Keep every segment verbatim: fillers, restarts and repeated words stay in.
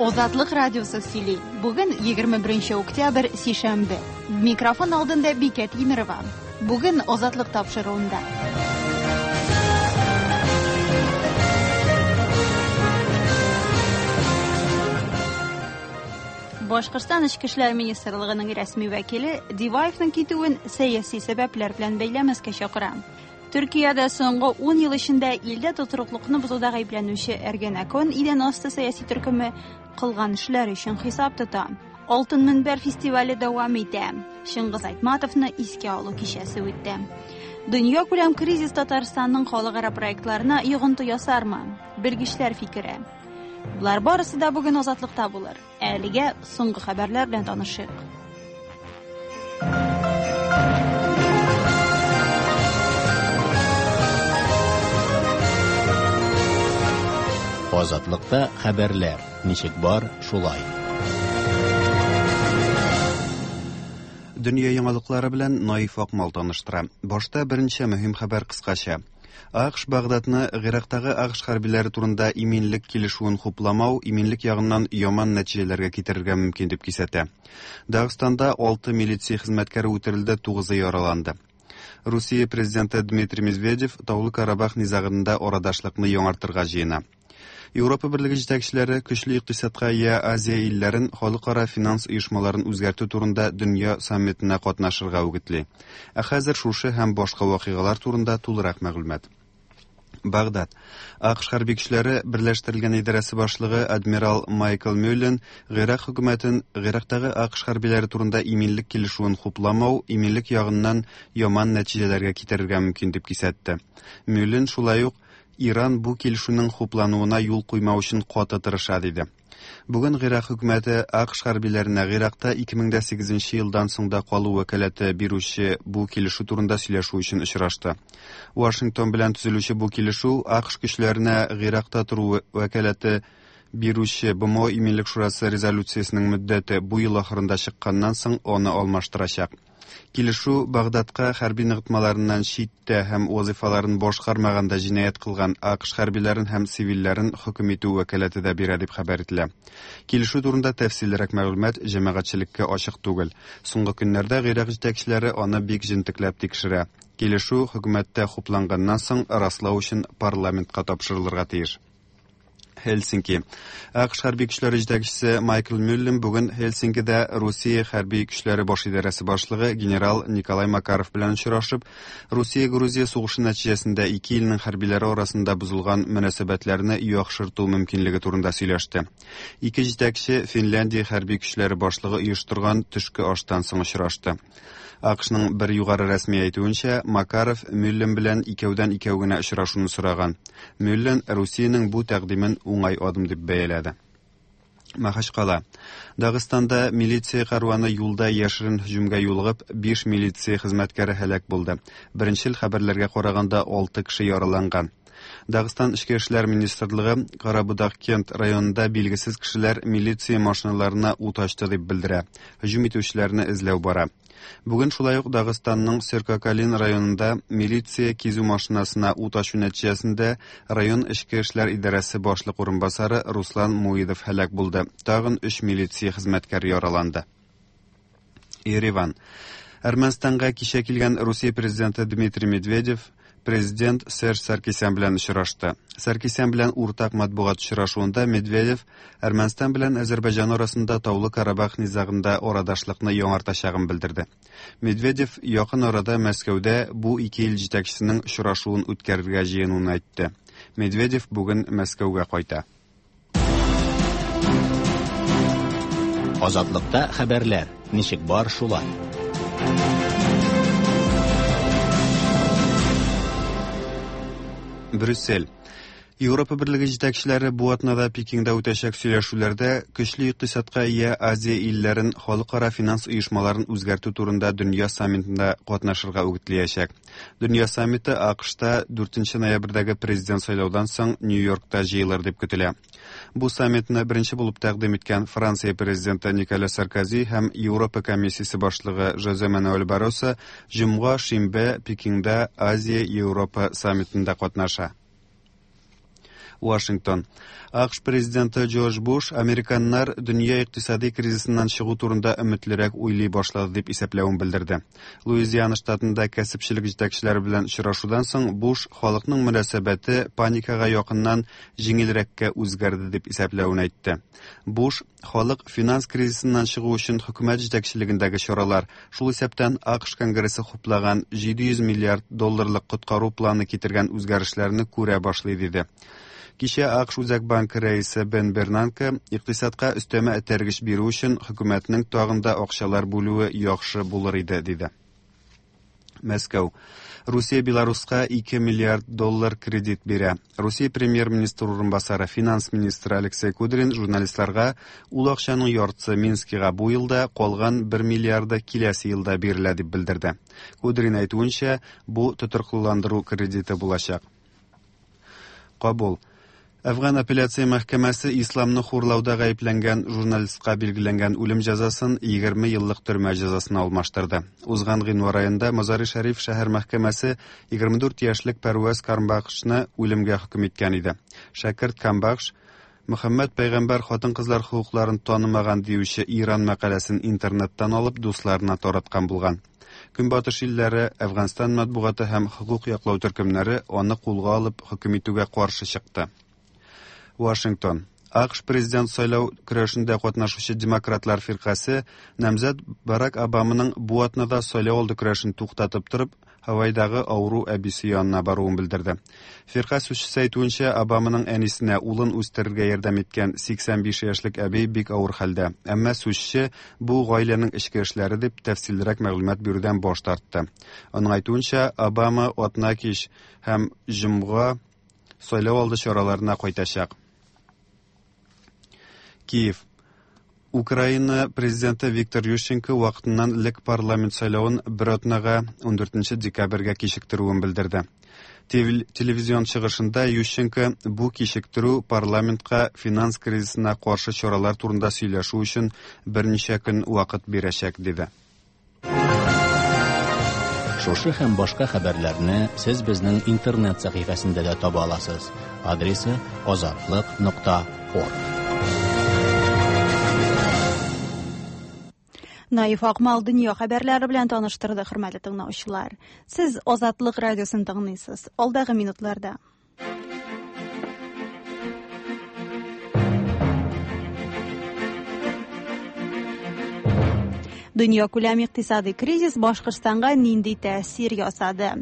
Азатлык радиосы сөйли. Бүген егерме беренче октябрь, сишәмбе. Микрофон алдында Бикә Тимерова. Бүген Азатлык тапшыруында. Башкортстан Эчке эшләр министрлыгының рәсми вәкиле Диваевның китүен сәяси сәбәпләр белән бәйләмәскә чакыра. Төркиядә соңгы ун ел эчендә илдә тотрыклыкны бозуда гаепләнүче Эргенекон идән асты сәяси төркеме кылган эшләр өчен хисап тота. Алтын Мөнбәр фестивале дәвам итә. Чыңгыз Айтматовны искә алу кичәсе үтте. Дөнья күләм кризис Татарстанның халыкара проектларына йогынты ясармы? Белгечләр фикере. Булар барысы да бүген Азатлыкта булыр. Әлегә соңгы хәбәрләр белән танышыйк. Азатлыкта хәбәрләр ничек бар, шулай. Дөнья яңалыклары белән Наиф Акмал таныштыра. Башта берничә мөһим хәбәр кыскача. АКШ Багдадны Ирактагы АКШ хәрбиләре турында иминлек килешүен хупламау иминлек ягыннан яман нәтиҗәләргә китерергә мөмкин дип кисәтә. Дагыстанда алты милиция хезмәткәре үтерелде, тугызы яраланды. Русия президенты Дмитрий Медведев Таулы Карабах низагында арадашлыкны яңартырга җыена. Европа Берлеге җитәкчеләре көчле икътисадка ия Азия илләрен халыкара финанс оешмаларын үзгәртү турында дөнья саммитына катнашырга үгетли. Ә хәзер шушы һәм башка вакыйгалар турында тулырак мәгълүмат. Багдад. АКШ хәрби көчләре берләштерелгән идарәсе башлыгы адмирал Майкл Мюллен Ирак хөкүмәтен Ирактагы АКШ хәрбиләре турында иминлек килешүен хупламау иминлек ягыннан яман нәтиҗәләргә китерергә мөмкин дип кисәтте. Мюллен шулай ук Иран бу килешүнең хуплануына юл куймау өчен каты тырыша диде. Бүген Ирак хөкүмәте АКШ хәрбиләренә Иракта ике мең дә сигезенче елдан соң да калу вәкаләте бирүче бу килешү турында сөйләшү өчен очрашты. Вашингтон белән төзелүче бу килешү АКШ көчләренә Иракта тору вәкаләте бирүче БМО Иминлек Шурасы резолюциясенең мөддәте бу ел ахырында чыкканнан соң аны алмаштырачак. Килешү Багдадка хәрби ныгытмаларыннан читтә һәм вазифаларын башкармаганда җинаять кылган АКШ хәрбиләрен һәм цивилләрен хөкем итү вәкаләте дә бирә дип хәбәр ителә. Килешү турында тәфсиллерәк мәгълүмат җәмәгатьчелеккә ачык түгел. Соңгы көннәрдә Ирак җитәкчеләре аны бик җентекләп тикшерә. Килешү хөкүмәттә хупланганнан соң раслау өчен парламентка тапшырылырга тиеш. Хельсинки. АКШ хәрби көчләре җитәкчесе Майкл Мюллен бүген Хельсинкида Русия хәрби көчләре баш идарәсе башлыгы генерал Николай Макаров белән очрашып, Русия-Грузия сугышы нәтиҗәсендә ике илнең хәрбиләре арасында бозылган мөнәсәбәтләрне яхшырту мөмкинлеге турында сөйләште. Ике җитәкче Финляндия хәрби көчләре башлыгы оештырган төшке аштан соң очрашты. АКШның бер югары рәсми әйтүенчә, Макаров Мюллен белән икәүдән икәү генә очрашуны сораган. Мюллен Русиянең бу тәкъдимен уңай адым дип бәяләде. Махачкала. Дагыстанда милиция карваны юлда яшерен һөҗүмгә юлыгып, биш милиция хезмәткәре һәлак булды. Беренчел хәбәрләргә караганда алты кеше яраланган. Дагыстан Эчке эшләр министрлыгы Карабудак кент районында билгесез кешеләр милиция машиналарына ут ачты дип белдерә. Һөҗүм итүчеләрне эзләү бара. Бүген шулай ук Дагыстанның Серкакалин районында милиция кизү машинасына ут ачу нәтиҗәсендә район Эчке эшләр идарәсе башлык урынбасары Руслан Муидов һәлак булды. Тагын өч милиция хезмәткәре яраланды. Ереван. Әрмәнстанга кичә килгән Русия президенты Дмитрий Медведев президент Серж Саркисян белән очрашты. Саркисян белән уртак матбугат очрашуында Медведев Әрмәнстан белән Азәрбайҗан арасында Таулы Карабах низагында арадашлыкны яңартачагын белдерде. Медведев якын арада Мәскәүдә бу ике ил җитәкчесенең очрашуын үткәрергә җыенуын әйтте. Медведев бүген Мәскәүгә кайта. Азатлыкта хәбәрләр ничек бар, шулай. Брюссель. Европа Берлеге җитәкчеләре бу атнада Пекинда үтәчәк сөйләшүләрдә көчле икътисадка ия Азия илләрен халыкара финанс оешмаларын үзгәртү турында дөнья саммитында катнашырга үгетләячәк. Дөнья саммиты АКШта дүртенче ноябрьдәге президент сайлаудан соң Нью-Йоркта җыелыр дип көтелә. Бу саммитны беренче булып тәкъдим иткән Франция президенты Николя Саркози һәм Европа комиссиясе башлыгы Жозе Мануэль Барросо җомга шимбә Пекинда Азия-Европа саммитында катнаша. Вашингтон. А К Ш президенты Джордж Буш американнар дөнья икътисади кризисыннан чыгу турында өметлерәк уйлый башлады дип исәпләвен белдерде. Луизиана штатында кәсепчелек җитәкчеләре белән очрашудан соң Буш халыкның мөнәсәбәте паникага якыннан җиңелрәккә үзгәрде дип исәпләвен әйтте. Буш халык финанс кризисыннан чыгу өчен хөкүмәт җитәкчелегендәге чаралар, шул исәптән А К Ш Конгрессы хуплаган җиде йөз миллиард долларлык коткару планы китергән үзгәрешләрне күрә башлый диде. Кичә А К Ш Үзәк банкы рәисе Бен Бернанке икътисадка өстәмә этәргеч бирү өчен хөкүмәтнең тагын да акчалар бүлүе яхшы булыр иде диде. Мәскәү. Русия Беларуска ике миллиард доллар кредит бирә. Русия премьер-министры урынбасары, финанс министры Алексей Кудрин журналистларга ул акчаның яртысы Минскига бу елда, калган бер миллиарды киләсе елда бирелә дип белдерде. Кудрин әйтүенчә, бу тотрыклыландыру кредиты булачак. Кабул. Әфган апелляция мәхкәмәсе исламны хурлауда гаепләнгән журналистка билгеләнгән үлем җәзасын егерме еллык төрмә җәзасына алмаштырды. Узган гыйнвар аенда Мазари-Шәриф шәһәр мәхкәмәсе егерме дүрт яшьлек Пәрвәз Камбахшны үлемгә хөкем иткән иде. Шәкерт Камбахш Мөхәммәд пәйгамбәр хатын-кызлар хокукларын танымаган диюче Иран мәкаләсен интернеттан алып дусларына тараткан булган. Көнбатыш илләре, Әфганстан матбугаты һәм хокук яклау төркемнәре аны кулга алып хөкем итүгә каршы чыкты. Вашингтон. А К Ш президент сайлау көрәшендә катнашучы демократлар фиркасе намзәт Барак Обаманың бу атнада сайлау алды көрәшен туктатып торып, Һавайдагы авыру әбисе янына баруын белдерде. Фирка сүзчесе әйтүенчә, Обаманың әнисенә улын үстерергә ярдәм иткән сиксән биш яшьлек әби бик авыр хәлдә. Әмма сүзче бу гаиләнең эчке эшләре дип тәфсиллерәк мәгълүмат бирүдән баш тартты. Аның әйтүенчә, Обама атна кич һәм җомга сайлау алды чараларына кайтачак. Киев. Украина президенты Виктор Ющенко вакытыннан элек парламент сайлавын бер атнага, ундүртенче декабрьгә кичектерүен белдерде. Телевизион чыгышында Ющенко бу кичектерү парламентка финанс кризисына каршы чаралар турында сөйләшү өчен берничә көн вакыт бирәчәк диде. Шушы һәм башка хәбәрләрне сез безнең интернет сәхифәсендә дә таба аласыз. Адресы озатлык нокта орг. Наиф Акмал дөнья хәбәрләре белән таныштырды, хөрмәтле тыңлаучылар. Сез Азатлык радиосын тыңлыйсыз. Алдагы минутларда. Дөнья күләм икътисади кризис Башкортстанга нинди тәэсир ясады?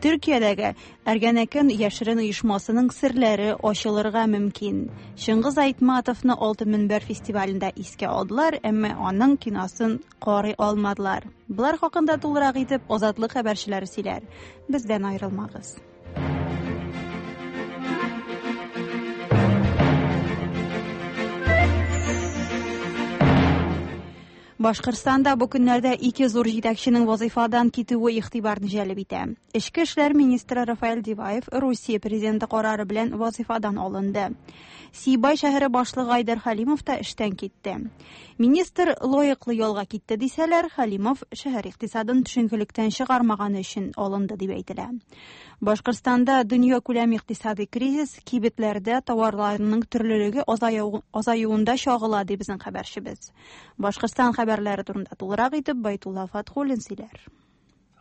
Төркиядәге Эргенекон яшерен оешмасының серләре ачылырга мөмкин. Чыңгыз Айтматовны Алтын Мөнбәр фестивалендә искә алдылар, әмма аның киносын карый алмадылар. Болар хакында тулырак итеп Азатлык хәбәрчеләре сөйләр. Бездән аерылмагыз. Башкортстанда бу көннәрдә ике зур җитәкченең вазифадан китүе игътибарны җәлеп итә. Эчке эшләр министры Рафаэль Диваев Русия президенты карары белән вазифадан алынды. Сибай шәһәре башлыгы Айдар Халимов та эштән китте. Министр лаеклы ялга китте дисәләр, Халимов шәһәр икътисадын төшенкелектән чыгармаганы өчен алынды дип әйтелә. Башкортстанда дөнья күләм икътисади кризис кибетләрдә товарларның төрлелеге азаюында чагыла, ди безнең хәбәрчебез. Башкортстан хәбәрләре турында тулырак итеп Байтулла Фатхуллин сөйләр.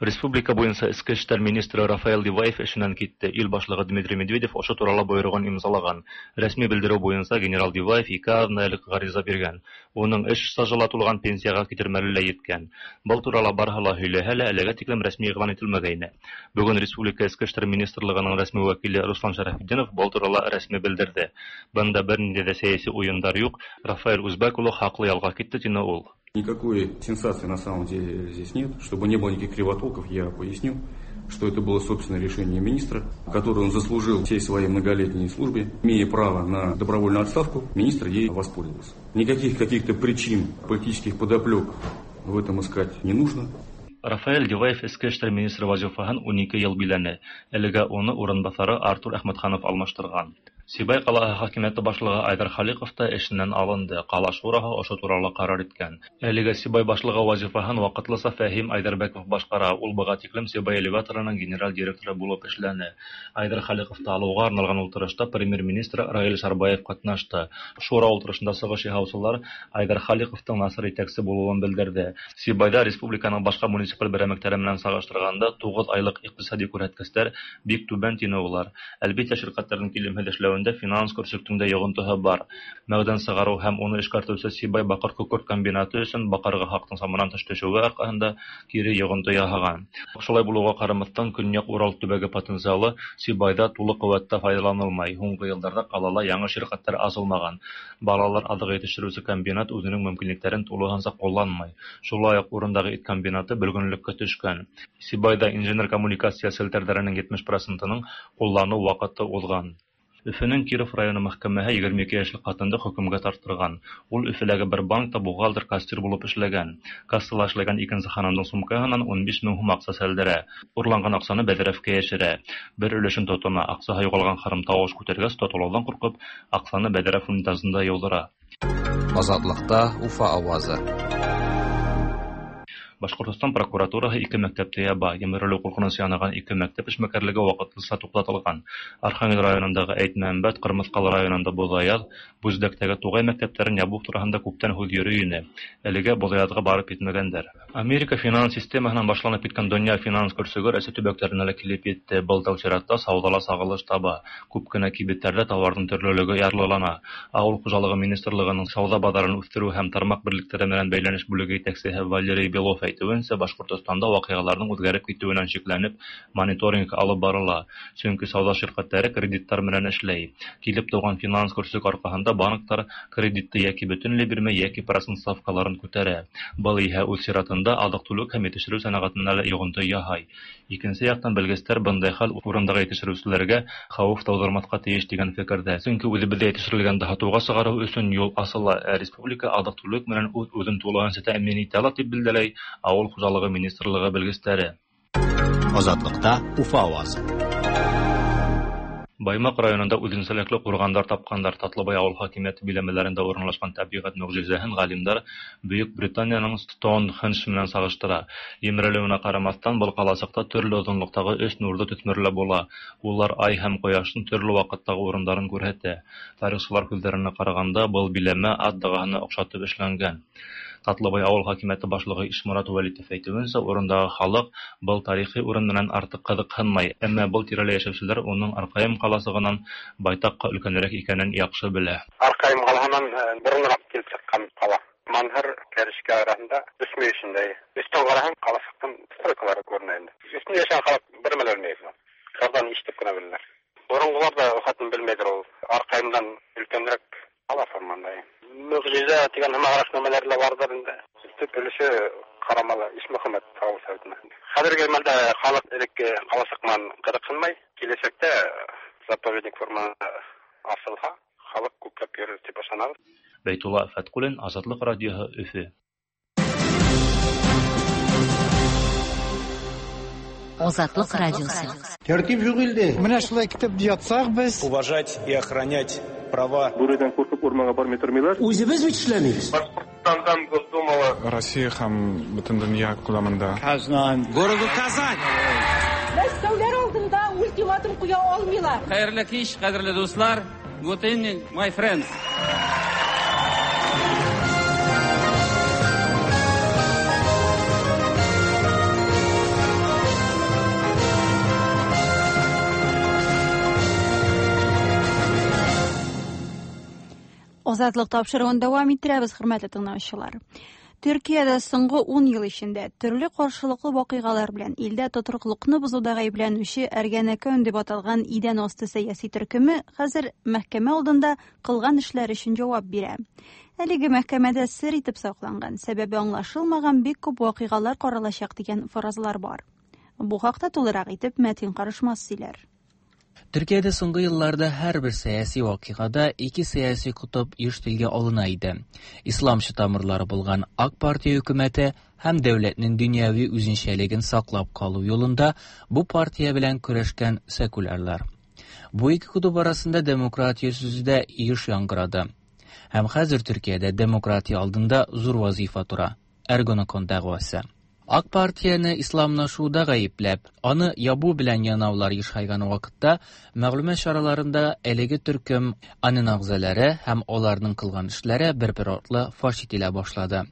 Республика буенча эчке эшләр министры Рафаэль Диваев эшеннән китте. Ил башлыгы Дмитрий Медведев ошо туралы бойругын имзалаган. Рәсми белдерү буенча генерал Диваев ике атна элек гариза биргән. Уның эш стажы ла тулган, пенсиягә китер мәле лә еткән. Был турала барыһы ла һөйләһә лә, әлегә тиклем рәсми игълан ителмәгәйне. Бүген Республика Эчке эшләр министрлыгының рәсми вәкиле Руслан Шәрәфетдинов был турала рәсми белдерде. Бында бернинди дә сәяси уендар юк. Рафаэль Узбек улы хаклы ялга китте, тине ул. Никакой сенсации на самом деле здесь нет. Чтобы не было никаких кривотолков, я поясню, что это было собственное решение министра, которое он заслужил всей своей многолетней службе. Имея право на добровольную отставку, министр ей воспользовался. Никаких каких-то причин, политических подоплек в этом искать не нужно. Рафаэль Диваев эске эшләр министры вазифаһын унике ел биләне. Әлегә уны урынбасары Артур Әхмәтханов алмаштырган. Сибай ҡалаһы хакимиәте башлығы Айҙар Халиҡов та эшенән алынды. Ҡала шураһы ошо турала ҡарар иткән. Әлегә Сибай башлығы вазифаһын ваҡытлыса Фәһим Айҙарбәков башҡара. Ул быға тиклем Сибай элеваторының генераль директоры булып эшләне. Айҙар Халиҡовты алыуға арналған ултырышта премьер-министр Раил Шарбаев ҡатнашты. Шура ултырышында сығыш яһаусылар Айҙар Халиҡовтың насар етәксе булыуын белдерҙе. Сибайҙа республиканың башҡа муниципаль берәмектәре менән сағыштырғанда туғыҙ айлыҡ иҡтисади күрһәткестәр бик түбән тине улар. Әлбиттә, ширкәттәрҙең килемһеҙ эшләүендә финанс көрсөктөң дә йоғонтоһо бар. Мәғдән сығарыу һәм уны эшкәртеүсе Сибай баҡыр күкерт комбинаты өсөн баҡырға хаҡтың саманан тыш төшөүе арҡаһында кире йоғонто яһаған. Шулай булыуға ҡарамаҫтан, Көньяҡ Урал төбәге потенциалы Сибайҙа тулы ҡеүәттә файҙаланылмай. Һуңғы йылдарҙа ҡалала яңы ширкәттәр асылмаған. Балалар аҙығы етештереүсе комбинат үҙенең мөмкинлектәрен тулыһынса ҡулланмай. Шулай уҡ урындағы ит комбинаты бөлгөнлөккә төшкән. Сибайҙа инженер коммуникация селтәрҙәренең етмеш процентының ҡулланыу ваҡыты уҙған. Өфөнөң Киров районы мәхкәмәһе егерме ике йәшлек ҡатынды хөкөмгә тарттырған. Ул Өфөләге бер банкта бухгалтер кассир булып эшләгән. Кассала эшләгән икенсе ханымдың сумкаһынан ун биш мең һум аҡса сәлдерә. Урланған аҡсаны бәҙрәфкә йәшерә. Бер өлөшөн тотона, аҡсаһы юғалған ханым тауыш күтәргәс, тотолауҙан ҡурҡып, аҡсаны бәҙрәф унитазында йыуҙыра. Азатлыҡта Уфа ауазы. Башҡортостан прокуратураһы ике мәктәпте яба. Емерелеү ҡурҡынысы янаған ике мәктәп эшмәкәрлеге ваҡытлыса туҡтатылған. Архангел районындағы Әйтмәмбәт, Ҡырмыҫҡалы районында Боҙаяҙ, Бүздәктәге Туғай мәктәптәрен ябыу тураһында күптән һүҙ йөрөй ине. Әлегә Боҙаяҙға барып етмәгәндәр. Америка финанс системаһынан башланып киткән донъя финанс көрсөгө Рәсәй төбәктәренә лә килеп етте. Был тәү сиратта сауҙала сағылыш таба. Күп кенә кибеттәрҙә тауарҙың төрлөлөгө ярлылана. Ауыл хужалығы министрлығының сауҙа баҙарын үҫтереү һәм тармаҡ берлектәре менән бәйләнеш бүлеге етәксеһе Валерий Белов әйтеүенсә, Башҡортостанда ваҡиғаларҙың үҙгәреп китеүенән шикләнеп, мониторинг алып барыла. Сөнки сауҙа ширкәттәре кредиттар менән эшләй. Килеп тыуған финанс көрсөк арҡаһында банктар кредитты йәки бөтөнләй бирмәй, йәки процент ставкаларын күтәрә. Был иһә үҙ сиратында аҙыҡ-түлек һәм етештереү сәнәғәтенә лә йоғонто яһай. Икенсе яҡтан, белгестәр бындай хәл урындағы етештереүселәргә хәүеф тыуҙырмаҫҡа тейеш тигән фекерҙә. Сөнки үҙебеҙҙә етештерелгәнде һатыуға сығарыу өсөн юл асыла, ә республика аҙыҡ-түлек менән үҙ-үҙен тулыһынса тәьмин итә ала, тип билдәләй Ауыл хужалығы министрлығы белгестәре. Азатлыҡта Уфа ауазы. Баймаҡ районында үҙенсәлекле ҡурғандар тапҡандар. Татлыбай ауыл хакимиәте биләмәләрендә урынлашҡан тәбиғәт мөғжизәһен ғалимдар Бөйөк Британияның Стоунхендж менән сағыштыра. Емерелеүенә ҡарамаҫтан, был ҡаласыҡта төрлө оҙонлоҡтағы өс нурҙы төҫмөрләп була. Улар ай һәм ҡояштың төрлө ваҡыттағы урындарын күрһәтә. Тарихсылар һүҙҙәренә ҡарағанда, был биләмә ат дағаһына оҡшатып эшләнгән. Татлыбай ауыл хакимиәте башлығы Ишморат Вәлитов әйтеүенсә, урындағы халыҡ был тарихи урын менән артыҡ ҡыҙыҡһынмай, әммә был тирәлә йәшәүселәр уның Арҡайым ҡаласығынан байтаҡҡа өлкәнерәк икәнен яҡшы белә. Арҡайым ҡалаһынан боронораҡ килеп сыҡҡан ҡала. Манһыр Кәрешкә араһында өс мөйөшөндә. Өҫтән ҡараһаң, ҡаласыҡтың стройкалары күренә инде. Өҫтөндә йәшәгән халыҡ бер нәмә лә белмәй. Ҡарҙан ишетеп кенә беләләр. Боронғолар ҙа хатын белмәйҙер ул. Арҡайымдан өлкәнерәк ҡала форманда. Мөғжизә тигән һымағыраҡ нәмәләр лә барҙыр инде. Төп өлөшө Ҡарамалы Ишмөхәмәт ауыл советына. Хәҙерге мәлдә халыҡ элекке ҡаласыҡ менән ҡыҙыҡһынмай. Киләсәктә заповедник форманы асылһа, халыҡ күпләп йөрөр тип ышанабыҙ. Бәйтулла Фәтҡуллин, Азатлыҡ радиоһы, Өфө. Азатлык радиосы. Тәртип юк илдә. Менә шулай китеп ятсак без. Уважать и охранять права. Бүредән куркып урманга бармый тормыйлар. Үзебез бит эшләмибез. Башкортстандан Госдумала. Россия һәм бөтен дөнья күләмендә. Казан. Городу Казань. Мәскәүләр алдында ультиматум куя алмыйлар. Хәерле кич, кадерле дуслар. Good evening, my friends. Азатлык тапшыруын дәвам иттерәбез, хөрмәтле тыңлаучылар. Төркиядә соңгы ун ел эчендә төрле каршылыклы вакыйгалар белән илдә тотрыклыкны бозуда гаепләнүче Эргенекон дип аталган идән асты сәяси төркеме хәзер мәхкәмә алдында кылган эшләр өчен җавап бирә. Әлеге мәхкәмәдә сер итеп сакланган, сәбәбе аңлашылмаган бик күп вакыйгалар каралачак дигән фаразлар бар. Бу хакта тулырак итеп Мәтин Карышмас сөйләр. Төркиядә соңгы елларда һәрбер сәяси вакыйгада ике сәяси кутып еш телгә алына иде. Исламчы тамырлары булган Ак партия хөкүмәте һәм дәүләтнең дөньяви үзенчәлеген саклап калу юлында бу партия белән көрәшкән секулярлар. Бу ике кутуп арасында демократия сүзе дә еш яңгырады. Һәм хәзер Төркиядә демократия алдында зур вазифа тора. Эргенекон дәгъвасы. Ак партияне исламлашуда гаепләп, аны ябу белән янаулар ешайган вакытта мәгълүмат чараларында әлеге төркем аның әгъзалары һәм аларның кылган эшләре бер-бер артлы фаш ителә башлады.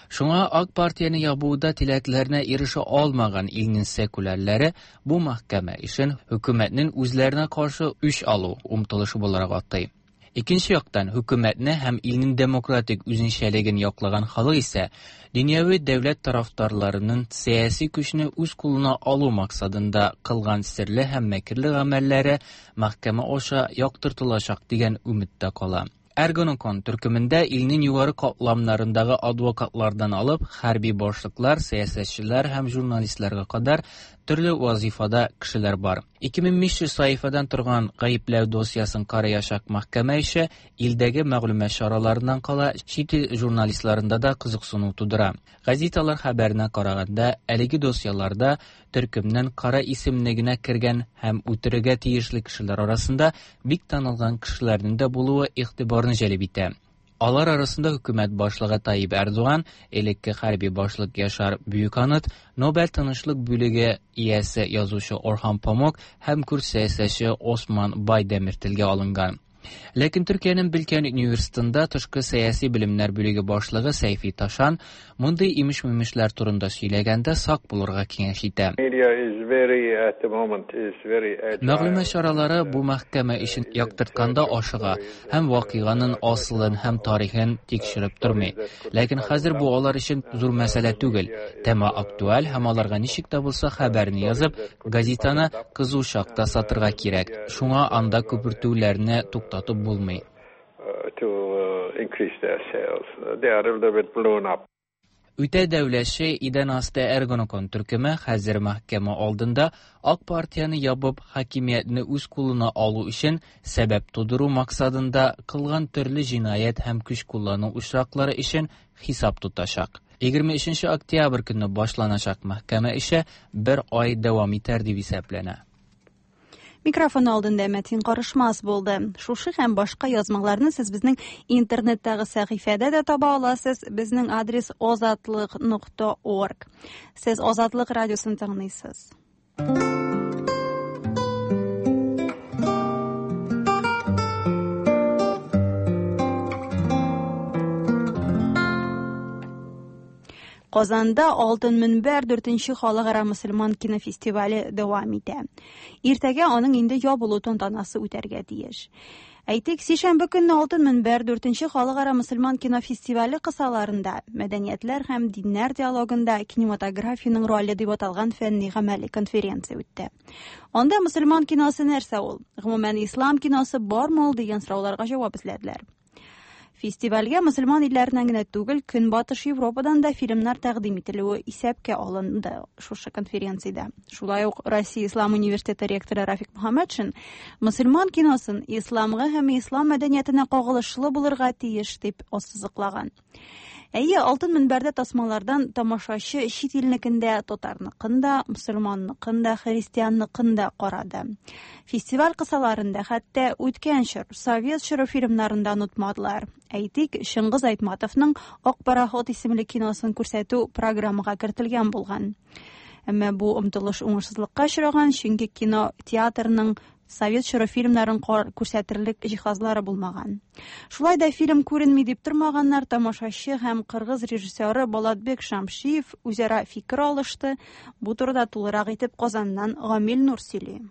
Шуңа Ак партияне ябуда теләкләренә ирешә алмаган илнең секулярлары бу мәхкәмә эшен хөкүмәтнең үзләренә каршы үч алу омтылышы буларак атый. Икенче яктан, хөкүмәтне һәм илнең демократик үзенчәлеген яклаган халык исә дөньяви дәүләт тарафдарларының сәяси көчне үз кулына алу максатында кылган серле һәм мәкерле гамәлләре мәхкәмә аша яктыртылачак дигән өметтә кала. Эргенекон төркемендә илнең югары катламнарындагы адвокатлардан алып, хәрби башлыклар, сәясәтчеләр һәм журналистларга кадәр төрле вазифада кешеләр бар. ике мең биш йөз сәхифәдән торган гаепләү досьясын караячак мәхкәмә эше илдәге мәгълүмат чараларыннан кала чит ил журналистларында да кызыксыну тудыра. Газеталар хәбәренә караганда, әлеге досьяларда төркемнең кара исемлегенә кергән һәм үтерергә тиешле кешеләр арасында бик танылган кешеләрнең дә булуы игътибарны җәлеп итә. Алар арасында хөкүмәт башлыгы Таyyip Эрдоган, элекке хәрби башлык Яшар Büyükanıt, Нобель тынычлык бүлеге иясе язучы Орхан Памук һәм курд сәясәтче Осман Байдемир телгә алынган. Ләкин Төркиянең Билкән университетында тышкы сәяси белемнәр бүлеге башлыгы Сәйфи Ташан мондый имеш-мимешләр турында сөйләгәндә сак булырга киңәш итә. Мәгълүмат чаралары бу мәхкәмә эшен яктыртканда ашыга һәм вакыйганың асылын һәм тарихын тикшереп тормый. Ләкин хәзер бу алар өчен зур мәсьәлә түгел. Тема актуаль һәм аларга ничек тә булса хәбәрне язып, газетаны кызу чакта сатырга кирәк. Шуңа анда күпертүләрне туктатып булмый. Үтә дәүләтче идән асты Эргенекон төркеме хәзер мәхкәмә алдында Ак партияне ябып, хакимиятне үз кулына алу өчен сәбәп тудыру максатында кылган төрле җинаять һәм көч куллану очраклары өчен хисап тотачак. егерме өченче октябрь көнне башланачак мәхкәмә эше бер ай дәвам итәр дип исәпләнә. Микрофон алдында Мәтин Карышмас булды. Шушы һәм башка язмаларны сез безнең интернеттагы сәхифәдә дә таба аласыз. Безнең адрес озатлык нокта орг. Сез Азатлык радиосын тыңлыйсыз. Казанда Алтын Мөнбәр дүртенче халыкара мөселман кинофестивале дәвам итә. Иртәгә аның инде ябылу тантанасы үтәргә тиеш. Әйтик, сишәмбе көнне Алтын Мөнбәр дүртенче халыкара мөселман кинофестивале кысаларында мәдәниятләр һәм диннәр диалогында кинематографиянең роле дип аталган фәнни гамәли конференция үтте. Анда мөселман киносы нәрсә ул? Гомумән, ислам киносы бармы ул дигән сорауларга җавап эзләделәр. Фестивальгә мөселман илләреннән генә түгел, Көнбатыш Европадан да фильмнар тәкъдим ителүе исәпкә алынды шушы конференциядә. Шулай ук Россия Ислам университеты ректоры Рафик Мөхәммәтшин мөселман киносын исламга һәм ислам мәдәниятенә кагылышлы булырга тиеш дип ассызыклаган. Әйе, Алтын Мөнбәрдә тасмалардан тамашачы чит илнекендә, татарныкын да, мөселманныкын да, христианныкын да карады. Фестиваль кысаларында хәтта үткән чор, совет чоры фильмнарын да онытмадылар. Әйтик, Чыңгыз Айтматовның Ак пароход исемле киносын күрсәтү программага кертелгән булган. Әмма бу омтылыш уңышсызлыкка очраган, чөнки кино театрның совет чоры фильмнарын күрсәтерлек җиһазлары булмаган. Шулай да фильм күренми дип тормаганнар, тамашачы һәм кыргыз режиссеры Болатбек Шамшиев үзара фикер алышты. Бу турыда тулырак итеп Казаннан Гамил Нур сөйли.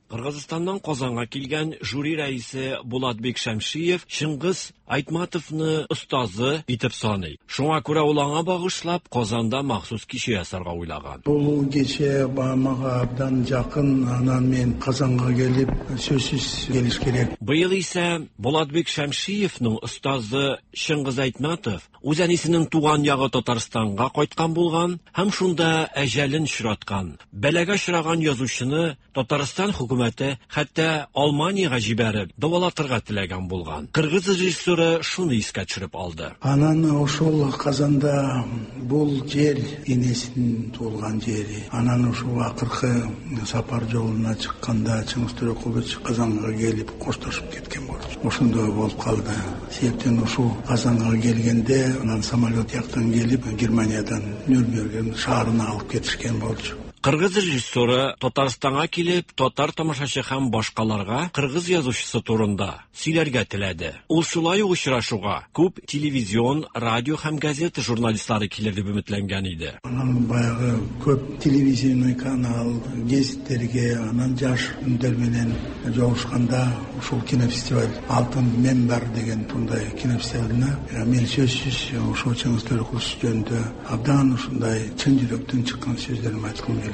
Кыргызстаннан Казанга килгән жюри рәисе Булатбек Шамшиев Чыңгыз Айтматовны остазы итеп саный. Шуңа күрә ул аңа багышлап Казанда махсус кичә ясарга уйлаган. Бул кече мага абдан жакын, анан мен Казанга келип сөзсүз келиш керек. Быел исә Булатбек Шамшиевның остазы Чыңгыз Айтматов үз әнисенең туган ягы Татарстанга кайткан булган һәм шунда әҗәлен очраткан. Бәлагә очраган язучыны Татарстан хөкүмәте хөкүмәте хәтта Алманиягә җибәреп дәвалатырга теләгән булган. Кыргыз режиссеры шуны искә төшереп алды. Анан ошол Казанда бул жер энесинин туулган жери. Анан ушул акыркы сапар жолуна чыкканда Чыңгыз Төрөкулович Казанга келип коштошуп кеткен болчу. Ошондой болуп калды. Себептен ушул Казанга келгенде анан самолет жактан келип Германиядан Нюрнберг шаарына алып кетишкен болчу. Кыргыз режиссеры Татарстанга килеп, татар тамашачы һәм башкаларга кыргыз язучысы турында сөйләргә теләде. Ул шулай ук очрашуга күп телевизион, радио һәм газета журналистлары килер дип өметләнгән иде. Анан баягы көп телевизионный канал, гезиттерге, анан жаш үндөр менен жолугушканда ушул кинофестиваль Алтын Минбар деген мындай кинофестивалына мен сөзсүз ушул Чыңгыз Төрөкулович жөнүндө абдан ушундай чын жүрөктөн чыккан сөздөрүмдү айткым келет.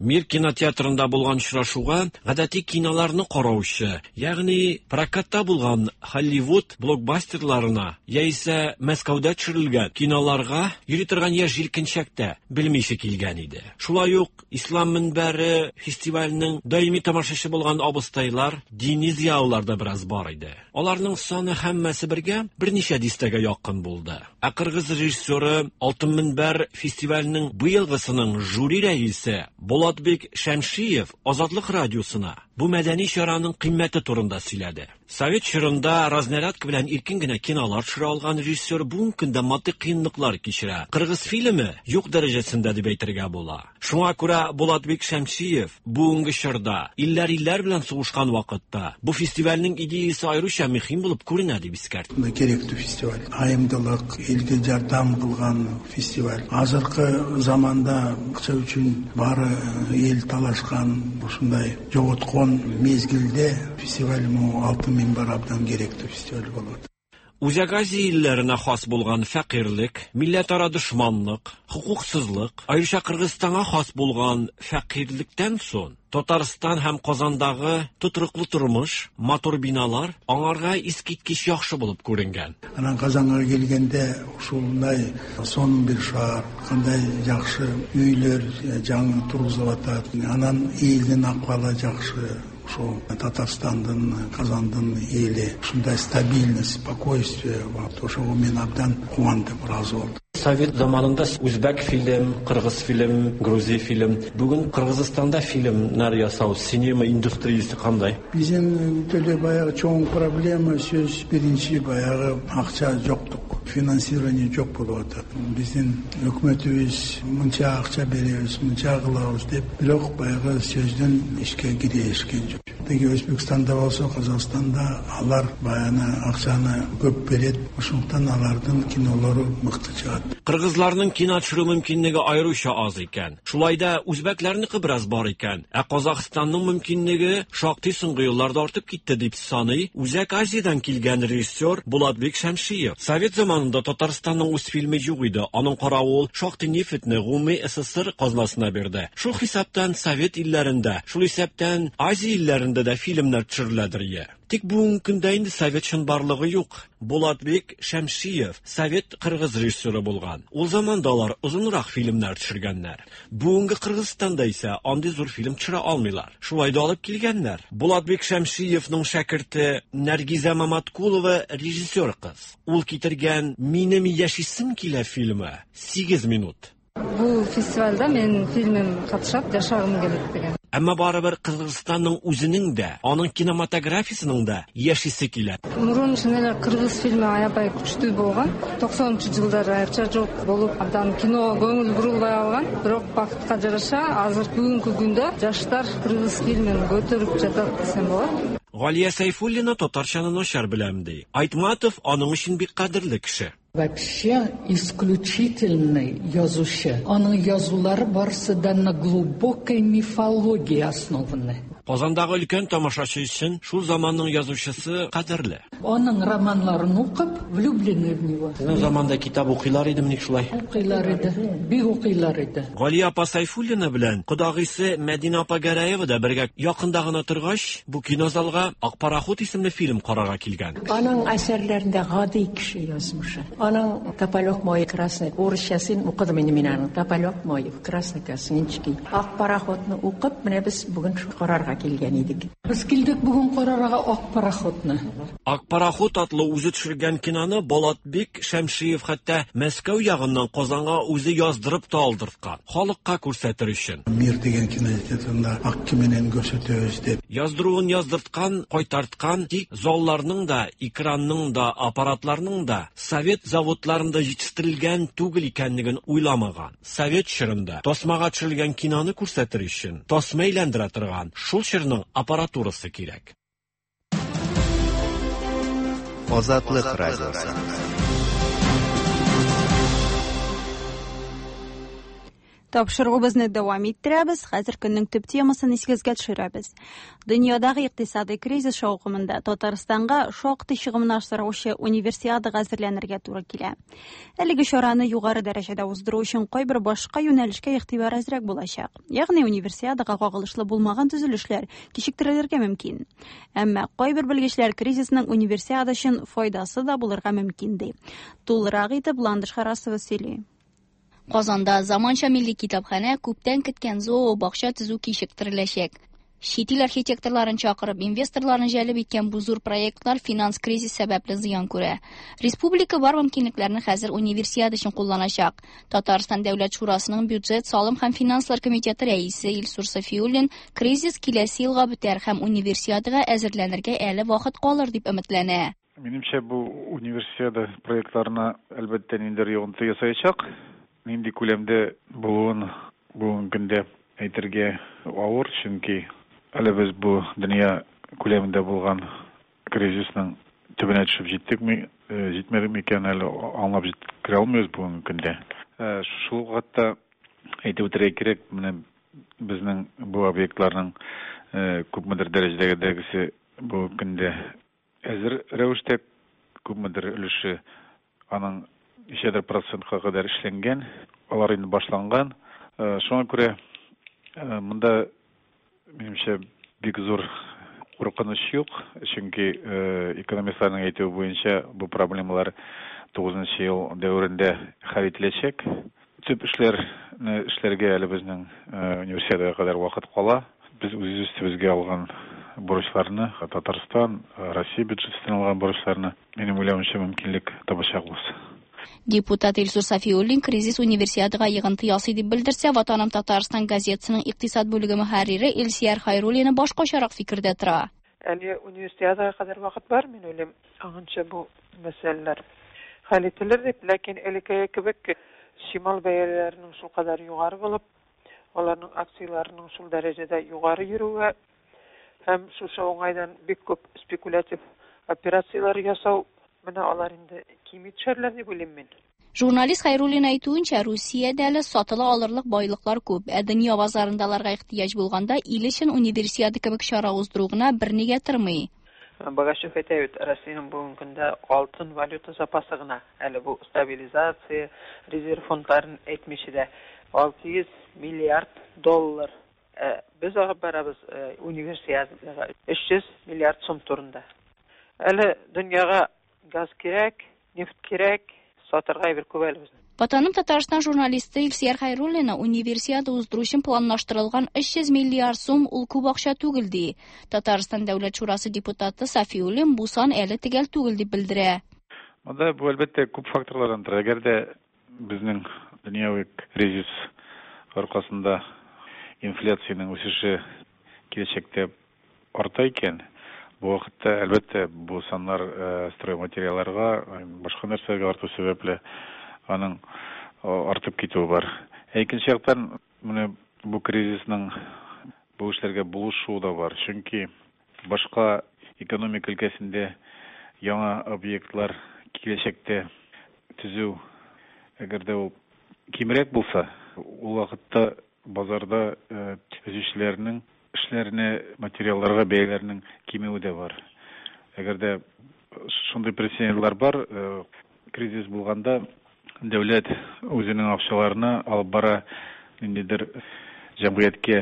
Мир кинотеатрында булган очрашуга гадәти киноларны караучы, ягъни прокатта булган Холливуд блокбастерларына яисә Мәскәүдә төшерелгән киноларга йөри торган яшь җилкенчәктә белмичә килгән иде. Шулай ук Ислам мөнбәре фестиваленең даими тамашачы булган абыстайлар, дини зыялылар да бераз бар иде. Аларның саны һәммәсе бергә берничә дистәгә якын булды. Ә кыргыз режиссеры Алтын Мөнбәр фестиваленең быелгысының жюри рәисе Булатбек Шәмшиев Азатлык радиосына бу мәдәни чараның кыйммәте турында сөйләде. Совет чорында разнарядка белән иркен генә кинолар төшерә алган режиссер бүгенге көндә матди кыенлыклар кичерә. Кыргыз фильмы юк дәрәҗәсендә дип әйтергә була. Шуңа күрә Булатбек Шәмшиев бүгенге чорда илләр-илләр белән сугышкан вакытта бу фестивальнең идеясы аеруча мөһим булып күренә дип искәртте. Керектүү фестиваль. Айымдылык, элге жардам кылган фестиваль. Азыркы заманда акча үчүн баары эл талашкан, ушундай жоготкон мезгилде фестиваль могу Алтын Минбар абдан керектүү фестиваль болот. Үзәк Азия илләренә хас булган фәкыйрьлек, милләтара дошманлык, хокуксызлык, аеруча Кыргызстанга хас булган фәкыйрьлектән соң Татарстан һәм Казандагы тотрыклы тормыш, матур биналар аңарга искиткеч яхшы булып күренгән. Анан Казанга келгенде ушундай сонун бир шаар, кандай жакшы үйлөр жаңы тургузулуп атат. Анан элдин акыбалы жакшы. Ошол Татарстандын, Казандын эли ушундай стабильность, спокойствие, ошого мен абдан кубандым, ыраазы болдум. Совет заманында үзбәк фильм, кыргыз фильм, грузин фильм. Бүген Кыргызстанда фильмнар ясау, синема индустриясы кандай? Биздин деле баягы чоң проблема сөз биринчи баягы акча жоктук, финансирование жок болуп атат. Биздин өкмөтүбүз мынча акча беребиз, мынча кылабыз деп, бирок баягы сөздөн ишке кирешкен жок. Тиги Өзбекстанда болсо, Казакстанда алар баягы акчаны көп берет, ошондуктан алардын кинолору мыкты чыгат. Кыргызларның кино төшерү мөмкинлеге аеруча аз икән. Шулай да үзбәкләрнеке бераз бар икән. Ә Казахстанның мөмкинлеге шактый соңгы елларда артып китте дип саный Үзәк Азиядән килгән режиссер Булатбек Шәмшиев. Совет заманында Татарстанның үз фильмы юк иде. Аның каравы ул шактый нефтьне гомуми СССР казнасына бирде. Шул хисаптан Совет илләрендә, шул исәптән Азия илләрендә дә фильмнар төшереләдер ие. Тик бүгенге көндә инде совет чынбарлыгы юк. Булатбек Шәмшиев совет кыргыз режиссеры булган. Ул заманда алар озынрак фильмнар төшергәннәр. Бүгенге Кыргызстанда исә андый зур фильм төшерә алмыйлар. Шулай да алып килгәннәр. Булатбек Шәмшиевның шәкерте Наргиза Маматкулова режиссер кыз. Ул китергән Минем яшисем килә фильмы сигез минут. Бул фестивальда менин фильмим катышат, жашагым келет деген. Әмма барыбер Кыргызстанның үзенең дә, аның кинематографиясының да яшисе килә. Мурун чын эле кыргыз фильми аябай күчтүү болгон. токсонунчу жылдары акча жок болуп, абдан киного көңүл бурулбай калган. Бирок бакытка жараша азыр бүгүнкү күндө жаштар кыргыз фильмин көтөрүп жатат десем болот. Галия Сайфуллина татарчаны начар беләм ди. Айтматов аның өчен бик кадерле кеше. Вообще исключительный язучы. Аның язулары барысы да на глубокой мифологии основаны. Казандагы өлкән тамашачы өчен шул заманның язучысы кадерле. Аның романнарын укып, влюблены в него. Сезнең заманда китап укыйлар идеме ник шулай? Укыйлар иде, бик укыйлар иде. Галия апа Сайфуллина белән кодагыйсы Мәдинә апа Гәрәева да бергә якында гына торгач, бу кинозалга Ак пароход исемле фильм карарга килгән. Аның әсәрләрендә гади кеше язмышы. Аның Тополек мой красный урысчасын укыдым инде мин аның. Тополек мой красный косыночки. Ак пароходны укып, менә без бүген карарга карарга килгән идек. Без килдек бүген карарга Ак пароходны. Ак пароход атлы үзе төшергән киноны Булатбек Шәмшиев хәтта Мәскәү ягыннан Казанга үзе яздырып та алдырткан, халыкка күрсәтер өчен. Мир дигән кинотеатрында ак кименен күрсәтәбез дип. Яздыруын яздырткан, кайтарткан, тик залларның да, экранның да, аппаратларның да совет заводларында җитештерелгән түгел икәнлеген уйламаган. Совет чорында тасмага төшерелгән киноны күрсәтер өчен тасма әйләндерә торган шул чорның аппаратурасы кирәк. Азатлык радиосы. Тапшыруыбызны дәвам иттерәбез. Хәзер көннең төп темасын исегезгә төшерәбез. Дөньядагы икътисадый кризис шаукымында Татарстанга шактый чыгымнар сораучы универсиадага әзерләнергә туры килә. Әлеге чараны югары дәрәҗәдә уздыру өчен кайбер башка юнәлешкә игътибар әзрәк булачак. Ягъни универсиадага кагылышлы булмаган төзелешләр кичектерелергә мөмкин. Әмма кайбер белгечләр кризисның универсиада өчен файдасы да булырга мөмкин ди. Тулырак итеп Ландыш Харасова сөйли. Казанда заманча милли китапханә күптән көткән зообакча төзү кичектереләчәк. Чит ил архитекторларын чакырып, инвесторларны җәлеп иткән бу зур проектлар финанс кризис сәбәпле зыян күрә. Республика бар мөмкинлекләрне хәзер универсиада өчен кулланачак. Татарстан Дәүләт Шурасының бюджет, салым һәм финанслар комитеты рәисе Илсур Сафиуллин кризис киләсе елга бетәр һәм универсиадага әзерләнергә әле вакыт калыр дип өметләнә. Минемчә, бу универсиада проектларына әлбәттә ниндидер йогынты ясаячак. Нинди күләмдә булуын бүгенге көндә әйтергә авыр, чөнки әле без бу дөнья күләмендә булган кризисның төбенә төшеп җиттекме, җитмәдекме икән әле аңлап җиткерә алмыйбыз бүгенге көндә. Шул вакытта әйтеп үтәргә кирәк, менә безнең бу объектларның күпмедер дәрәҗәдәгесе бүгенге көндә әзер рәвештә, күпмедер өлеше аның ничәдер процентка кадәр эшләнгән, алар инде башланган. Шуңа күрә монда минемчә бик зур куркыныч юк, чөнки экономистларның әйтүе буенча бу проблемалар тугызынчы ел дәверендә хәл ителәчәк. Төп эшләрне эшләргә әле безнең универсиадага кадәр вакыт кала. Без үз өстебезгә алган бурычларны, Татарстан, Россия бюджетыннан алган бурычларны, минем уйлавымча, мөмкинлек табачакбыз. Депутат Илсур Сафиуллин кризис универсиадага йыгынты ясый дип белдерсә, Ватаным Татарстан газетасының икътисад бүлеге мөхәррире Илсияр Хайруллина башкачарак фикердә тора. Әле универсиадага кадәр вакыт бар, мин уйлыйм, аңынча бу мәсьәләләр хәл ителер дип, ләкин элеккеге кебек чимал бәяләренең шул кадәр югары булып, аларның акцияләренең шул дәрәҗәдә югары йөрүе һәм шушы уңайдан бик күп спекулятив операцияләр ясау, менә алар инде кими төшәрләр дип уйлыйм мин. Журналист Хайруллин әйтүенчә, Русиядә әле сатыла алырлык байлыклар күп, ә дөнья базарында аларга ихтыяҗ булганда ил өчен универсиада кебек чара уздыру гына бернигә тормый. Богачев әйтә бит, Россиянең бүгенге көндә алтын валюта запасы гына, әле бу стабилизация, резерв фондларын әйтмичә дә алты йөз миллиард доллар. Без агып барабыз универсиадага өч йөз миллиард сум турында. Әле дөньяга газ кирәк, нефть кирәк, сатырга бер күп әле безнең. Ватаным Татарстан журналисты Илсияр Хайруллина универсиада уздыру өчен планлаштырылган өч йөз миллиард сум ул күп акча түгел ди. Татарстан Дәүләт Шурасы депутаты Сафиуллин бу сан әле төгәл түгел дип белдерә. Монда бу әлбәттә күп факторлардан тора. Әгәр дә безнең дөньяви кризис аркасында инфляциянең үсеше киләчәктә арта икән, бу вакытта әлбәттә бу саннар стройматериалларга, башка нәрсәләргә арту сәбәпле аның артып китүе бар. Ә икенче яктан менә бу кризисның бу эшләргә булышуы да бар. Чөнки башка экономика өлкәсендә яңа объектлар киләчәктә төзү, әгәр дә ул кимрәк булса, ул вакытта базарда төзүчеләрнең эшләренә, материалларга бәяләрнең кимүе дә бар. Әгәр дә шундый прецедентлар бар, кризис булганда дәүләт үзенең акчаларына алып бара ниндидер җәмгыятькә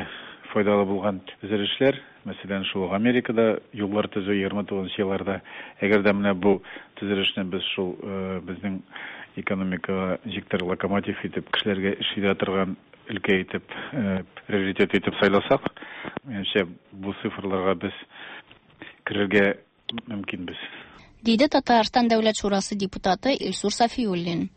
файдалы булган төзелешләр, мәсәлән, шул ук Америкада юллар төзү егерме тугызынчы елларда. Әгәр дә менә бу төзелешне без шул безнең экономикага ничектер локомотив итеп кешеләргә эш бирә торган өлкә итеп, приоритет итеп сайласак, минемчә, бу цифрларга без керергә мөмкинбез. Диде Татарстан Дәүләт Шурасы депутаты Илсур Сафиуллин.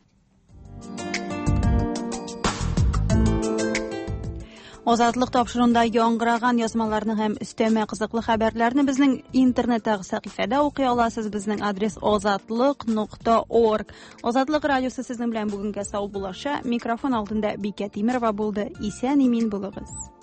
Азатлык тапшыруында яңгыраган язмаларны һәм өстәмә кызыклы хәбәрләрне безнең интернеттагы сәхифәдә укый аласыз. Безнең адрес азатлык нокта орг. Азатлык радиосы сезнең белән бүгенгә саубуллаша. Микрофон алдында Бикә Тимерова булды. Исән имин булыгыз.